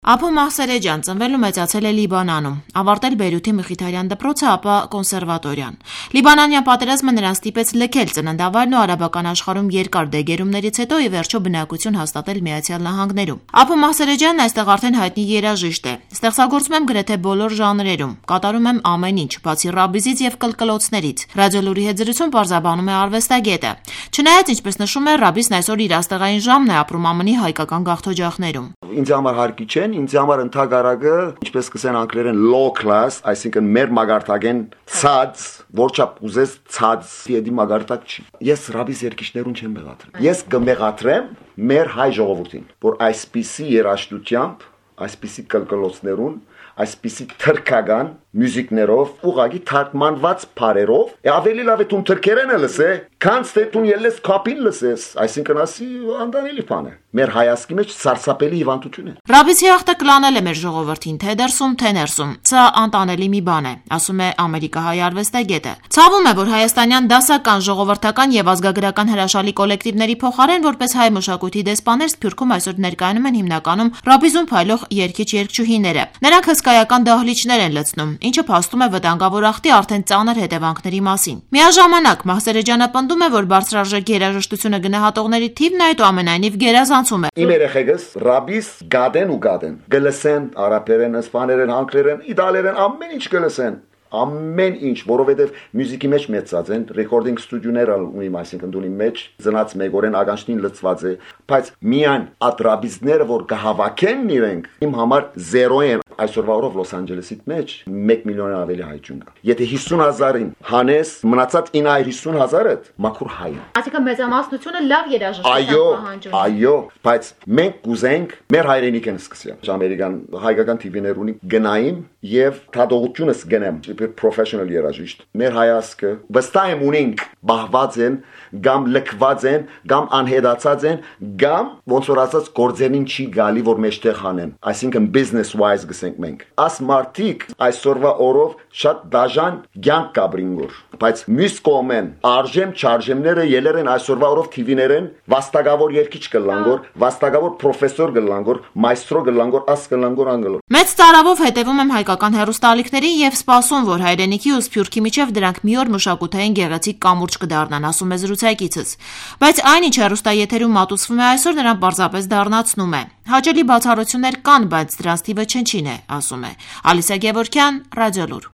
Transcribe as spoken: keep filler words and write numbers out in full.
Ափո Մահսերեջյան ծնվել ու մեծացել է Լիբանանում, ավարտել Բեյրութի Մխիթարյան դպրոցը, ապա կոնսերվատորիան։ Լիբանանյան պատերազմը նրան ստիպեց լքել ծննդավայրն ու արաբական աշխարհում երկար դեգերումներից հետո ի վերջո բնակություն հաստատել Միացյալ Նահանգներում։ Ափո Մահսերեջյանն այստեղ արդեն հայտնի երաժիշտ է։ Ստեղծագործում եմ գրեթե բոլոր ժանրերում, կատարում եմ ամեն ինչ, բացի ռաբիզից եւ կլկլոցներից։ Ռադիոլուրի հետ զրույցում պարզաբանում է արվեստագետը։ Չնայած, ինչպես նշում է, ռաբիսն այսօր իր աստեղային ժամն է ապրում ԱՄՆ-ի հայկական գաղթօջախներում։ Ինձ համար հարկի չեն, ինձ համար ընդհանրակը, ինչպես կսեն անգլերեն low class, այսինքն մեր մագարտակեն ցած, որչափ ուզես ցած, դի մագարտակ չի։ Ես ռաբիս երկիշներուն չեմ մեղադրում։ Ես կմեղադրեմ մեր հայ ժողովրդին, որ այսպիսի երաժշտությամբ, այսպիսի կլկլոցներուն, այսպիսի թրքական մյուզիկներով, ուղղակի թարգմանված բառերով, ավելի լավ է դու թրքերեն լսե, քան թե դու ելես կապին լսես, այսինքն ասի անդանելի բան է։ Մեր հայացքի մեջ սարսափելի հիվանդություն է։ Ռաբիսի հաղթը կլանել է մեր ժողովրդին, թե դրսում, թե ներսում։ Սա անտանելի մի բան է, ասում է ամերիկահայ արվեստագետը։ Ցավում է, որ հայաստանյան դասական, ժողովրդական եւ ազգագրական հրաշալի կոլեկտիվների փոխարեն որպես հայ մշակույթի դեսպաներ Սփյուռքում այսօր ներկայանում են հիմնականում ռաբիզում փայլող երգիչ-երգչուհիները։ Նրանք հսկայական դահլիճներ են լցնում, ինչը փաստում է վտանգավոր ախտի արդեն ծանր հետևանքների մասին։ Միաժամանակ Մահսերեջյանը պնդում է, որ բարձրարժեք երաժշտությունը գնահատողների թիվն այդուամենայնիվ գերազանցում է։ Իմ երեխեքս ռաբիս գադեն ու գադեն, գլսեն արաբերեն, իսպաներեն, անգլերեն, իտալերեն, ամեն ինչ գլսեն։ Ամեն ինչ, որովհետև մյուզիկի մեջ մեծած են, ռեկորդինգ ստուդիոներ ունիմ, այսինքն դունի մեջ ծնած մեգորեն ագանչնին լծված է, բայց միայն ատրաբիզները, որ կհավաքեն իրենք, իմ համար զերո են։ Այսօրվա օրով Լոս Անջելեսի մեջ մեկ միլիոն ավելի հայ ջուն կա։ Եթե հիսուն հազարին հանես, մնացած ինը հիսուն հազարը մաքուր հայ է։ Այսինքն մեծամասնությունը լավ երաժշտություն պահանջում։ Այո, բայց մենք կուզենք մեր հայրենիքն սկսել։ Ամերիկան հայկական տիվիներ ունի գնային եւ թադողությունս գնեմ, professional երաժիշտ։ Մեր հայացքը վստահ եմ ունենք բահված են, կամ լքված են, կամ անհետացած են, կամ ոնց որ ասած գործերին չի գալի, որ մեջտեղ հանեն։ Այսինքն business wise գսենք մենք։ Աս մարտիկ այսօրվա օրով շատ դաժան ցանկ կաբրինգոր, բայց մյուս կողմեն արժեմ չարժեմները ելեր են այսօրվա օրով տիվիներեն վաստակավոր երկիչ կլանգոր, վաստակավոր պրոֆեսոր կլանգոր, մայստրո կլանգոր, աս կլանգոր անգլոր։ Մեծ տարավով հետևում եմ հայկական հեռուստաալիքներին եւ սպասում, որ հայրենիքի ու Սփյուռքի միջև դրանք մի օր մշակութային գեղեցիկ կամուրջ կդառնան, ասում է զրուցակիցս։ Բայց այնինչ հեռուստաեթերում մատուցվում է այսօր, նրան պարզապես դառնացնում է։ Հաճելի բացառություններ կան, բայց դրանց թիվը չնչին է, ասում է։ Ալիսա Գևորգյան, Ռադիոլուր։